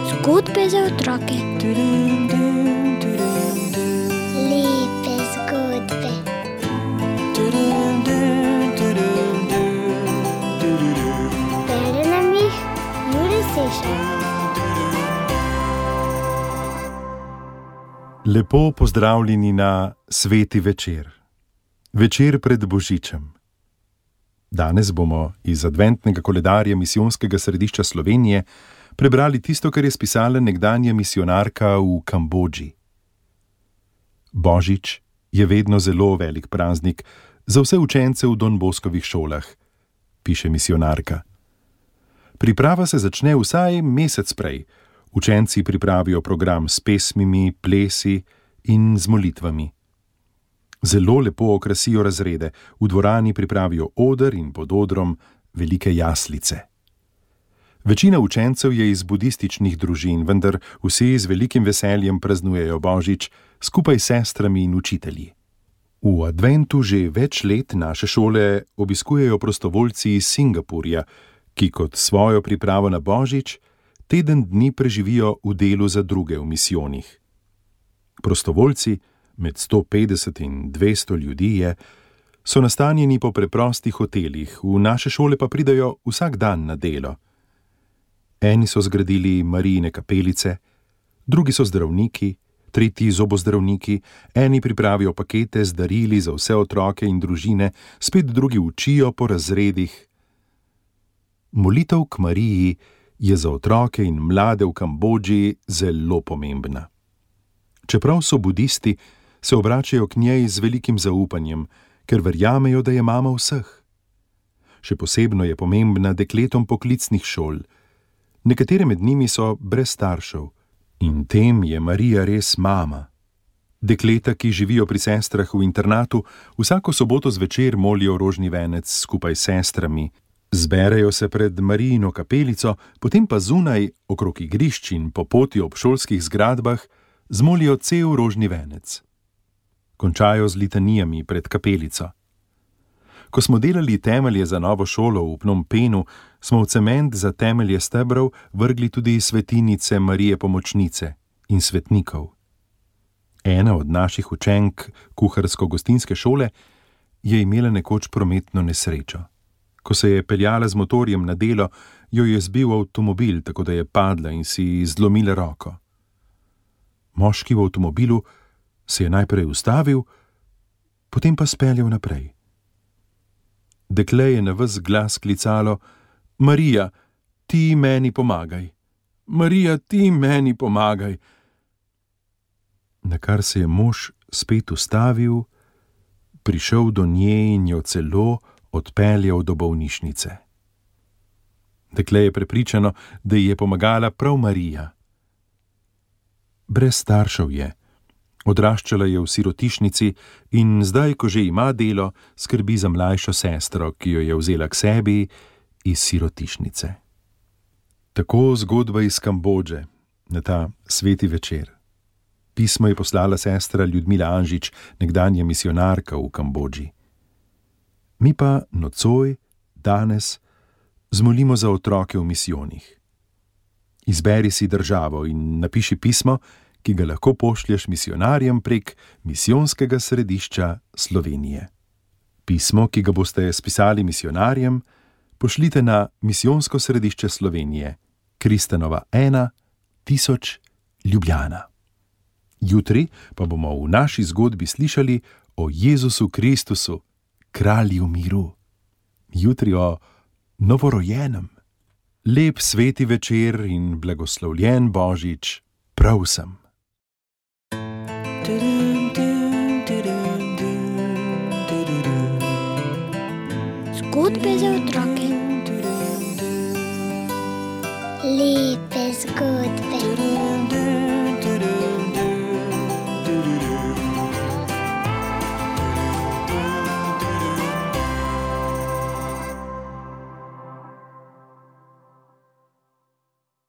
Zgodbe za otroke. Lepe zgodbe. Bere nam jih Jure Sešar. Lepo pozdravljeni na sveti večer. Večer pred Božičem. Danes bomo iz adventnega koledarja Misijonskega središča Slovenije prebrali tisto, kar je spisala nekdanja misijonarka v Kambodži. Božič je vedno zelo velik praznik za vse učence v Don Boskovih šolah, piše misijonarka. Priprava se začne vsaj mesec prej. Učenci pripravijo program s pesmimi, plesi in z molitvami. Zelo lepo okrasijo razrede, v dvorani pripravijo oder in pod odrom velike jaslice. Večina učencev je iz budističnih družin, vendar vsi z velikim veseljem praznujejo Božič skupaj s sestrami in učitelji. V adventu že več let naše šole obiskujejo prostovoljci iz Singapurja, ki kot svojo pripravo na Božič teden dni preživijo v delu za druge v misijonih. Prostovoljci, med 150 in 200 ljudi je, so nastanjeni po preprostih hotelih, v naše šole pa pridajo vsak dan na delo. Eni so zgradili Marijine kapelice, drugi so zdravniki, tretji zobozdravniki, eni pripravijo pakete z darili za vse otroke in družine, spet drugi učijo po razredih. Molitev k Mariji je za otroke in mlade v Kambodži zelo pomembna. Čeprav so budisti, se obračajo k njej z velikim zaupanjem, ker verjamejo, da je mama vseh. Še posebno je pomembna dekletom poklicnih šol. Nekatere med njimi so brez staršev in tem je Marija res mama. Dekleta, ki živijo pri sestrah v internatu, vsako soboto zvečer molijo rožni venec skupaj s sestrami. Zberejo se pred Marijino kapelico, potem pa zunaj, okrog igrišč in po poti ob šolskih zgradbah, zmolijo cel rožni venec. Končajo z litanijami pred kapelico. Ko smo delali temelje za novo šolo v Phnom Penhu, smo v cement za temelje stebrov vrgli tudi svetinice Marije Pomočnice in svetnikov. Ena od naših učenk kuharsko-gostinske šole je imela nekoč prometno nesrečo. Ko se je peljala z motorjem na delo, jo je zbil avtomobil, tako da je padla in si zlomila roko. Moški v avtomobilu se je najprej ustavil, potem pa speljal naprej. Dekle je na ves glas klicalo: Marija, ti meni pomagaj! Marija, ti meni pomagaj! Nakar se je mož spet ustavil, prišel do nje in jo celo odpeljal do bolnišnice. Dekle je prepričano, da ji je pomagala prav Marija. Brez staršev je. Odraščala je v sirotišnici in zdaj, ko že ima delo, skrbi za mlajšo sestro, ki jo je vzela k sebi iz sirotišnice. Tako zgodba iz Kambodže na ta sveti večer. Pismo je poslala sestra Ljudmila Anžič, nekdanja misijonarka v Kambodži. Mi pa nocoj, danes, zmolimo za otroke v misijonih. Izberi si državo in napiši pismo, ki ga lahko pošlješ misijonarjem prek Misijonskega središča Slovenije. Pismo, ki ga boste spisali misijonarjem, pošljite na Misijonsko središče Slovenije, Kristanova 1, 1000, Ljubljana. Jutri pa bomo v naši zgodbi slišali o Jezusu Kristusu, kralju miru. Jutri o novorojenem. Lep sveti večer in blagoslovljen Božič prav vsem. Zgodbe za otroke. Lepe zgodbe.